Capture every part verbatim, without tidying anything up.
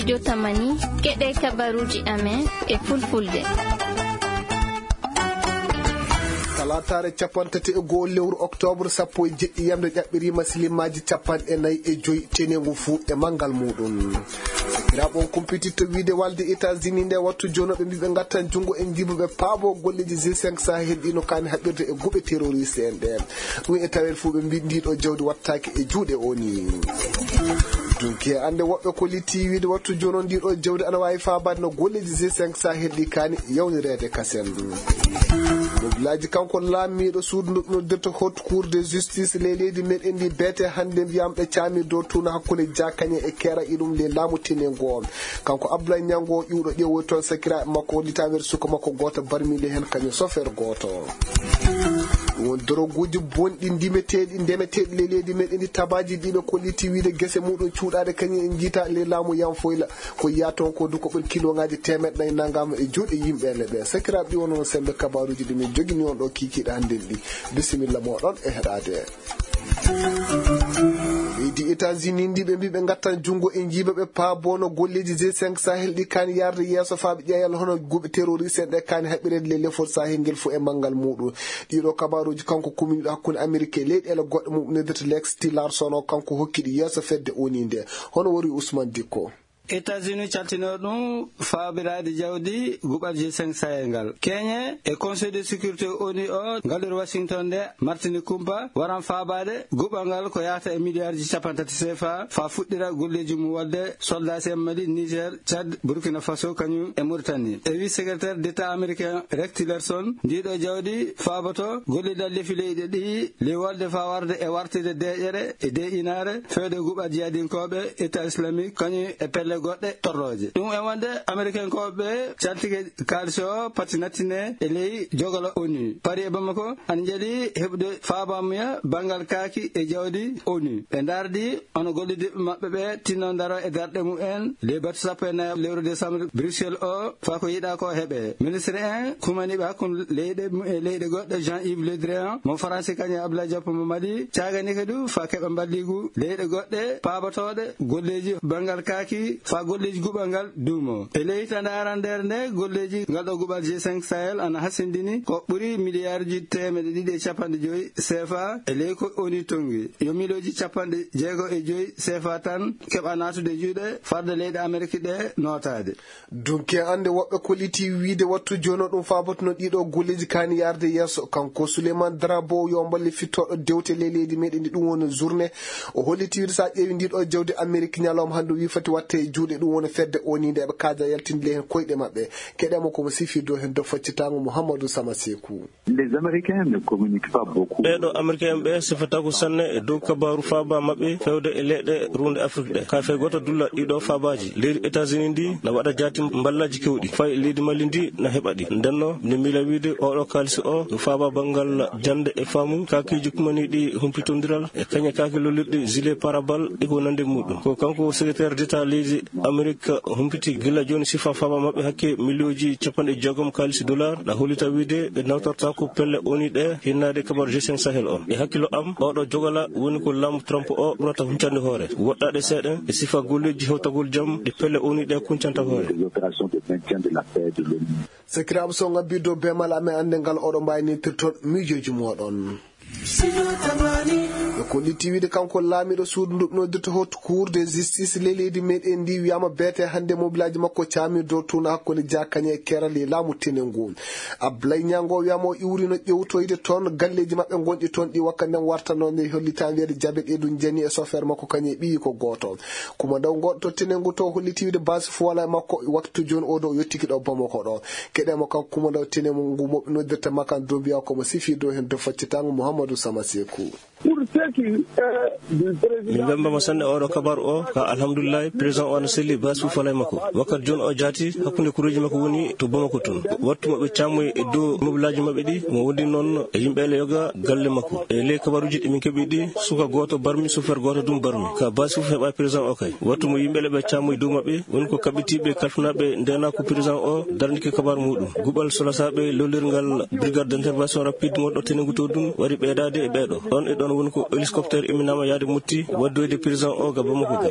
Jotamani, keɗe kabaruuji amen e fulfulde. Talaataare cappanɗe tati e go'o lewru oktoobar, sappo e jeɗɗi yamde, ƴaɓɓiriima silimaaji cappanɗe nayi e joyi, tenengu fuu e manngal muuɗum. Sakiraaɓe, on kumpititta wiide walde États-Unis nde wattu jooni ɓe mbii ɓe ngattan junngo e njiiba ɓe paabo golleeji G cinq Sahel ɗi no kaani haɓirde e guɓe terroriste en ɗe. Ɗum e tawel fuu ɓe mbii ndiɗo jawdi wattaake e juuɗe O N U. Dunki e annde woɓɓe ko litti wiide wattu jooni ndiɗo jawdi ana waawi faabaade no golleeji G cinq Sahel ɗi kaani yawnireede kasen. Mobilaaji kanko laamiiɗo suudu ndu noddirta Haute Cour de Justice ley leydi meɗen ndi beete hannde mbiyam ɓe caami dow tuuna hakkunde Jakañe e Keera iɗum ley laamu tenengu o. Kanko Abdoulaye Ñango ƴuwɗo ƴeewoy toon sakiraaɓe makko litameere suka makko gooto barmiinde heen kañum sofeer gooto. Ɗum woni doroguuji bonɗi ndimeteeɗi, ndemeteeɗi ley leydi meɗen ndi tabaaji ɗiɓe ko litti wiide gese muɗum cuuɗaade kañum en njiita ley laamu Yanfoyla. Ko yiya toon ko du ko ɓuri kiloŋaaji teemeɗɗe nayi nangama e juuɗe yimɓe ne ɓe. Sakiraaɓe ɗi wonno sembe kabaruuji ɗi min jogini on ɗo kiikiiɗe hannde ɗi. Bisimilla mooɗon e heɗaade. Leydi États-Unis ndi ɓe mbii ɓe ngattan junngo e njiiba ɓe paabono golleeji G cinq Sahel ɗi kaani yarde yeeso faa ɓe ƴeeyal hono guɓe terroriste en ɗe kaani haɓireede le lefol Sahel ngel fof e manngal muuɗum. Ɗiɗo kabaruuji kanko kuminiiɗo hakkunde Amerik e leyɗeele goɗɗe mum noddirta Lex Tillerson o kanko hokki ɗi yeeso fedde O N U nde. Hono wori Ousmane Dikko. États-Unis caltino ɗum faabiraade jawdi guɓal G cinq Sahel ngal. Keñe e Conseil de sécurité O N U o ngalluɗo Washington nde martini kumpa waran faabaade guɓal ngal ko yahata e miliyaarji cappanɗe tati C F A faa fuɗɗira golleeji mum waɗde soldat en Mali, Niger, Tchad, Burkina Faso kañum e Mauritanie. E wi secrétaire d'État américain Rex Tillerson, ndiɗo jawdi faaboto gollidal lefi leyɗe ɗi ley walde faa warde e wartide deeƴere e deeƴinaare fewde guɓal jihadinkooɓe État islamique kañum e pelle goɗɗe torrooje. Ɗum e wonde Amerikankooɓe caltike kaalisi o pati nattine e ley jogolo O N U. Paris e Bamako ana njeli heɓude faabaamuya banngal kaaki e jawdi O N U. Ɓe ndaardi hono gollidiiɓe maɓɓe ɓe tinno ndaro e darɗe mumen ley batu sappo e nayi lewru décembre Bruxelles o faa ko yiɗaa ko heɓe. Ministre en kumaniiɓe hakkunde leyɗe mu-, e leyɗe goɗɗe, Jean-Yves Le Drian mo Faransi kañum e Abdoulaye Diop mo Mali, caaganii kadi faa keɓa mballigu leyɗe goɗɗe paabotooɗe golleeji banngal kaaki faa golleeji guɓal ngal duumo. E ley hitaande arandeere nde golleeji ngal ɗo guɓal G cinq Sahel ana hasindini ko ɓuri miliyaarji teemeɗe ɗiɗi e cappanɗe joyi C F A e ley ko O N U tonngi. Yo miliyonji cappanɗe jeego e joyi C F A tan keɓa naatude juuɗe farde leyɗe Amerik ɗe nootaade. Dunki e annde woɓɓe kolliti wiide wattu jooni o ɗum faabatuno ɗiɗo golleeji kaani yaarde yeeso. Kanko Souleymane Drabo yo mballe fittooɗo dewte ley leydi meɗen ndi ɗum woni journée. O holliti wiide so a ƴeewi ndiɗo jawdi Amerik ñalawma hannde o wi foti watte e juuɗe ɗum woni fedde O N U nde ɓe kaaja yaltinde heen koyɗe maɓɓe. Keɗemo komo sifirde o heen do faccitango Mouhamadou Sama Sekou. Les Américains ne communiquent pas beaucoup. Ɓeeɗo Amerika'en ɓe sifataako sanne e dow kabaaru faaba maɓɓe fewde e leyɗe ruunde Afrik ɗe. Ka fey gooto dulla ɗiɗo faabaaji. Leydi États-Unis ndi na waɗa jaati mballaaji kewɗi. Fay leydi Mali ndi na heɓa ɗi. Ndenno, mi miila wiide oɗo kaalisi o no faaba banngal jannde e faamu, kaakiiji kumaniiɗi humpitondiral e kañe kaaki lollirɗi gilet pare-balles e ko nandi muɗum. Ko kanko secrétaire d'État leydi Amerik humpiti gila jooni sifa faaba maɓɓe hakke miliyonji capanɗe jeegom kaalisi dollar, na hollita wiide ɓe nawtortaako pelle O N U ɗe hinnaade kabaru G cinq Sahel on. E hakkilo am, oɗo jogala woni ko laamu Trump o ɓurata huncande hoore. Woɗɗaɗe seeɗa e sifa golleeji hewtagol jam ɗi pelle O N U ɗe kuncanta hoore. Des opérations de maintien de la paix de l'O N U. Sakiraaɓe, so ngabbi dow beemal amen annde ngal oɗo mbawi nirtirton miijooji moɗon. Ɓe kolliti wiide kanko laamiiɗo suudu ndu noddirta Haute Cour de Justice ley leydi meɗen ndi wiyama beete hannde mobilaaji makko caami dow tuuna hakkunde Jakañe e Keerali e laamu Tenengu. Ablaye Ñango wiyama o iwrino ƴewtoyde toon galleeji maɓɓe gonɗi toon ɗi wakkati nden wartano nde hollita wiyeede Jabel Edu Jani e sofeer makko kañum e ɓiyi ko gooto. Kumandaw goɗɗo to Tenengu to holliti wiide base fuwala e makko waktu jooni o ɗo o yottiki ɗo Bamako ɗo. Keɗemo kanko kumandaw Tenengu mo ɓe noddirta Makan Dumbiya komo sifi dow heen dow faccitango Mouhamadou Sama Sekou. Pour ce qui est du président, min mbemba mo sanne oɗo kabaru o ka alhamdulillahi président o ana selli base fuwala e makko. Wakkati jooni o jaati hakkunde kureeji makko woni to Bamako toon. Wattu mo ɓe camoyi e dow mobilaaji maɓɓe ɗi mo wondi noon e yimɓe ele yoga galle makko. E ley kabaruuji ɗi min keɓi ɗi suka gooto barmi, sofeer gooto dum barmi. Ka base fof heɓa président o kay. Wattu mo yimɓe ele ɓe camoyi dow maɓɓe woni ko kaɓɓitiiɓe kalfinaaɓe ndenaaku président o darnike kabaru muɗum. Guɓal solasaaɓe lollirngal brigade d'intervention rapide mo ɗo Tenengu to ɗum wari ɓeydaade e ɓeeɗo. Ɗon e ɗon woni ko Hélicoptère imminama yaade mutti waddoyde prison o ga Bamako ga.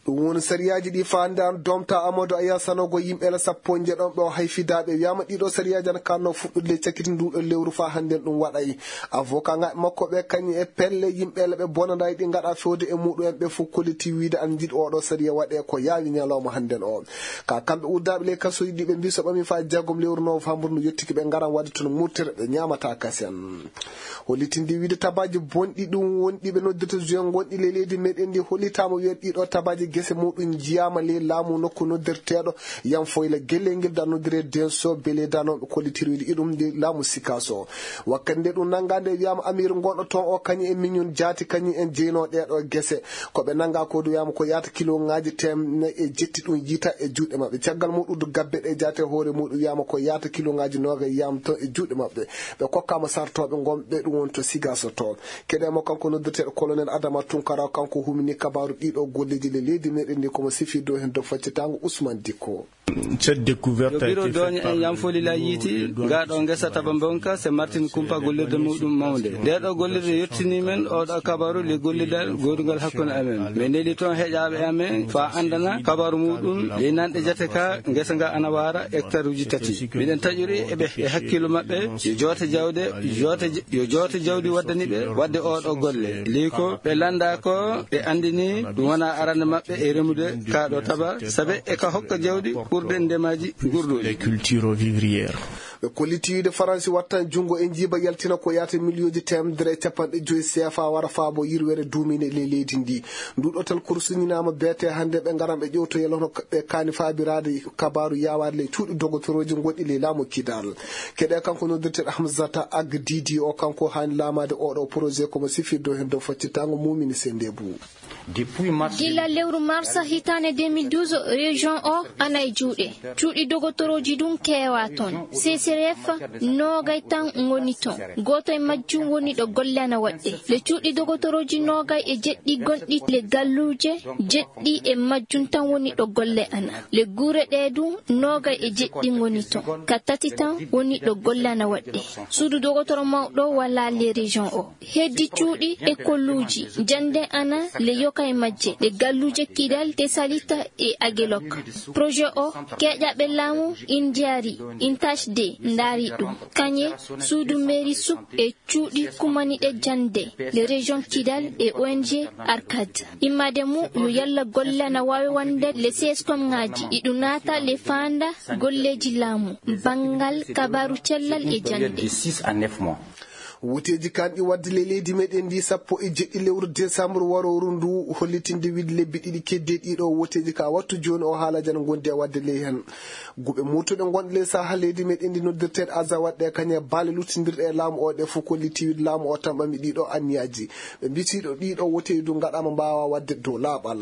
Ɗum woni sariyaaji ɗi faande an domta Amadou Aya sanogo yimɓe la sappo njeɗon ɓe o hayfidaaɓe wiyama ɗiɗo sariyaaji an kanno fuɗɗude le cakiti nduɗo lewru fa hannden ɗum waɗay. Avocat ŋaɓe makko ɓe kañum e pelle yimɓe la ɓe bonanday ɗi ngaɗa fewde e muɗum en ɓe fof kolliti wiide an jiɗ oɗo sariya waɗe ko yaawi ñalawma hannden o. Ka kamɓe uddaaɓe ley kasuuji ɗi ɓe mbi so ɓami fa jeegom lewru novembre no yettiki ɓe ngaran waɗde toon murtere ɓe ñaamata kasen. Hollitinde wiide tabaaji bonɗi ɗum wonɗi ɓe noddirta juin gonɗi ley leydi meɗen ndi hollitaama wiye ɗiɗo tabaaji gese muɗum jiyaama ley laamu nokku noddirteeɗo yam foyla gellel ngel da noddire denso bele danooɓe kollitiri wiide iɗum nde laamu sikaso. Wakkati nde ɗum nanngaande wiyaama amiiru gonɗo toon o kañum e miñum jaati kañum en jeyno ɗeeɗo gese. Ko ɓe nannga ko du wiyaama ko yaata kiloŋaaji teemedde e jetti ɗum yiita e juuɗe maɓɓe caggal muɗum du gabbe ɗe jaate hoore muɗum wiyaama ko yaata kiloŋaaji noogay yiyama toon e juuɗe maɓɓe. Ɓe kokkaama sartooɓe ngonɓe ɗum woni to sigaso to. Keɗe mo kanko noddirteeɗo colonel adama tunkara kanko humini kabaaru ɗiɗo golleji le leydi meɗen ndi komo sifi dow heen dow faccitango ousmane dikko. Cette découverte a été faite par le bureau de Yanfoli la yiiti ngaɗo ngesa taba mbonka se martin kumpa gollirde muɗum mawnde nde ɗo gollirde yettini men oɗo kabaru le gollidal godugal hakkunde amen. Men neli toon heƴaɓe amen fa andana kabaru muɗum le nanɗe jate ka ngesa nga ana wara hectare uji tati miɗen taƴori eɓe e hakkillo maɓɓe yo joote jawde joote yo joote jawdi waddani ɓe wadde oɗo golle ley ko ɓe landa ko ɓe andini ɗum wona arande maɓɓe e remude kaɗo taba sabe e ka hokka jawdi ɓurde ndemaji gurɗuɗi. Culture vivrière. Ɓe kolliti wiide faransi wattan junngo e njiiba yaltina ko yaata miliyonji temedere e capanɗe joyi seefa wara faabo yirwere duumine ley leydi ndi. Nduɗo tal kursuñinaama beete hannde ɓe ngaran ɓe ƴewtoyel hono ɓe kaani faabiraade kabaaru yaawaade ley cuuɗi dogotorooji gonɗi ley laamu kidal. Keɗe kanko noddirteeɗo hamsata agdidi o kanko haani laamaade oɗo projet komo sifirde o heen dow faccitaango mumini sendebu. Gila lewru marsa hitaande deux mille douze, région o ana e juuɗe cuuɗi dogotorooji ɗum keewa toon. Ccrf noogay tan ngoni toon. Gooto e majjum woni ɗo golle ana waɗɗe. Le cuuɗi dogotorooji noogay e jeɗɗi gonɗi le galluuje jeɗɗi e majjum tan woni ɗo golle ana. Le guure ɗe ɗum noogay e jeɗɗi ngoni toon. Ka tati tan woni ɗo golle ana waɗɗe. Suudu dogotoro mawɗo wala le région o. Heddi cuuɗi e kolluuji jannde ana le yoka e majje ɗe galluuje kidal te salita e agelok. Projet o keeƴaɓe laamu indiari intachde ndaari ɗum kañe suudu mairie suk e cuuɗi kumaniɗe jannde le région kidal e ong arcad. Immade mu yo yalla golle ana waawi wonde le sescom ngaji iɗu naata le faanda golleeji laamu banngal kabaru cellal e jannde. Woteeji kanɗi waɗde ley leydi meɗen ndi sappo e jeɗɗi lewru décembre waroru ndu hollitinde wiɗde lebbi ɗiɗi kedde ɗiɗo woteeji ka wattu jooni o haalaji ana gondi e waɗde ley heen. Guɓe murtuɗe gonɗe ley saha leydi meɗen ndi noddirteeɗe aza waɗɗe kañe baale luttindirɗe e laamu o ɗe fof kolliti wiɗde laamu o tamɓami ɗiɗo anniyaji. Ɓe mbitiɗo ɗiɗo woteeji du ngaɗama mbawa waɗde dow laaɓal.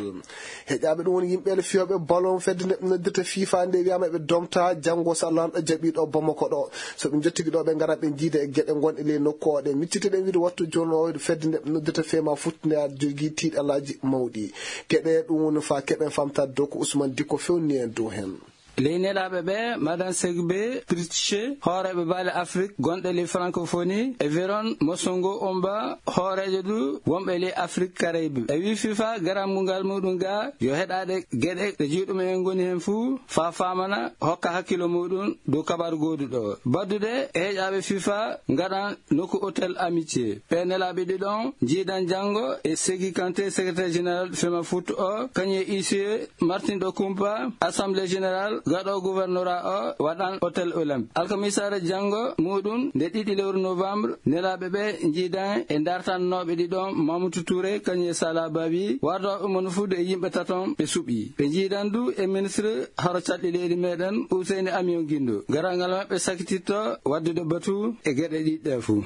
Heƴaɓe ɗum woni yimɓe le fiyoɓe ballon fedde nde ɓe noddirta fifa nde wiyama eɓe domta janngo so allah lanɗo jaɓiɗo bamako ɗo. So ɓe jottigi ɗo ɓe ngara ɓe jiida e geɗe gonɗe ley nokku o ɗe miccite ɗen wiide wattu jono fedde nde ɓe noddirta fema futti nde aɗa jogui tiiɗalaji mawɗi. Keɗe ɗum woni fa keɓen famtade dow ko ousmane dikko fewni en dow hen. Ley nelaaɓe ɓe madan segbe pritche hooreeɓe baale afrik gonɗe ley francophonie e veron mosongo omba hooreejo du wonɓe ley afrik karaybe e wi fifa garammungal muɗum ga yo heɗaɗe geɗe ɗe juuɗum en ngoni hen fuu faa faamana hokka hakkilo muɗum dow kabaru gooduɗo baddude e heƴaaɓe fifa ngaɗan nokku hôtel amitié ɓe nelaaɓe ɗiɗon jiidan janngo e segi kanté secrétaire général fema foot o kañum e huissier martin ɗo kumpa assemblée générale gaɗo gouvernorat o waɗan hôtel olympe alkamisaare janngo muɗum nde ɗiɗi lewru novembre nelaaɓe ɓe njiidan e dartannooɓe ɗiɗon mamoudou touré kañum e sala babi wardoɓe mon fuude e yimɓe taton ɓe suɓi ɓe njiidan du e ministre haro caɗɗi leydi meɗen useyni amion guindo garal ngal maɓɓe sakititto waddude batu e geɗe ɗiɗɗe fuu.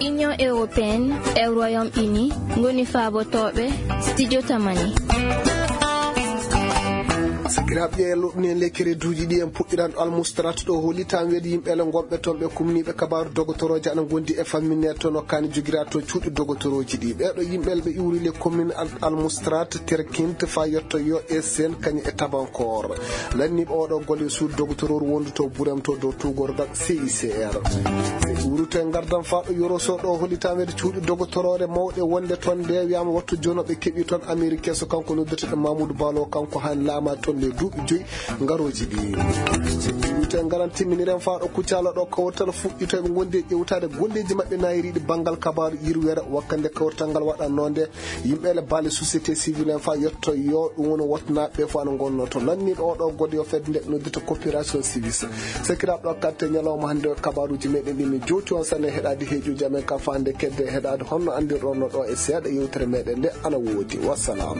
Union européenne e Royaume Uni ngoni faabotooɓe studio tamani. Sakiraaɓe, ƴeeloɗen lekkere duuji ɗi en puɗɗiran almustarat ɗo hollitan weede yimɓe le gonɓe toon ɓe kumniiɓe kabaaru dogotorooje ana ngondi e famminneede toon o kaani jogira to cuuɗi dogotorooji ɗi. Ɓeeɗo yimɓe le ɓe iwri le commune al-, almustarat terkinte fa yetto yo e sen kañum e tabankor. Lanniiɓe oɗo golle suudu dogotorooru wondu to Burem to dow tuugorgal C I C R. Ɓe iwri to e ngardan fa ɗo yoroso ɗo hollitan weede cuuɗi dogotoroore mawɗe wonde toon nde wiyaama wattu jono ɓe keɓi toon Amérique so kanko noddirteɗo Mamoudou Balo kanko han laama toon le duuɓi joyi. Ngarooji ɗi. Te ngaran timminiren faa ɗo Kucala ɗo kawtal fuɗɗitoyɓe ngondi e ƴewtaade golleeji maɓɓe naayiriiɗi banngal kabaaru yirwere wakkande kawtal ngal waɗannoo nde yimɓe le baale société civile en faa yetto yo ɗum woni wotnaaɓe fof ana ngonnoo to lanniiɗo oɗo goɗɗo yo fedde nde noddita coopération civile. Sakiraaɓe ɗo katte ñalawma hannde o kabaaruuji meɗen ɗi min jowti on sanne heɗaade heejuuji amen ka faande kedde heɗaade honno anndirɗon no ɗo e seeɗa yewtere meɗen nde ana woodi. Wassalam.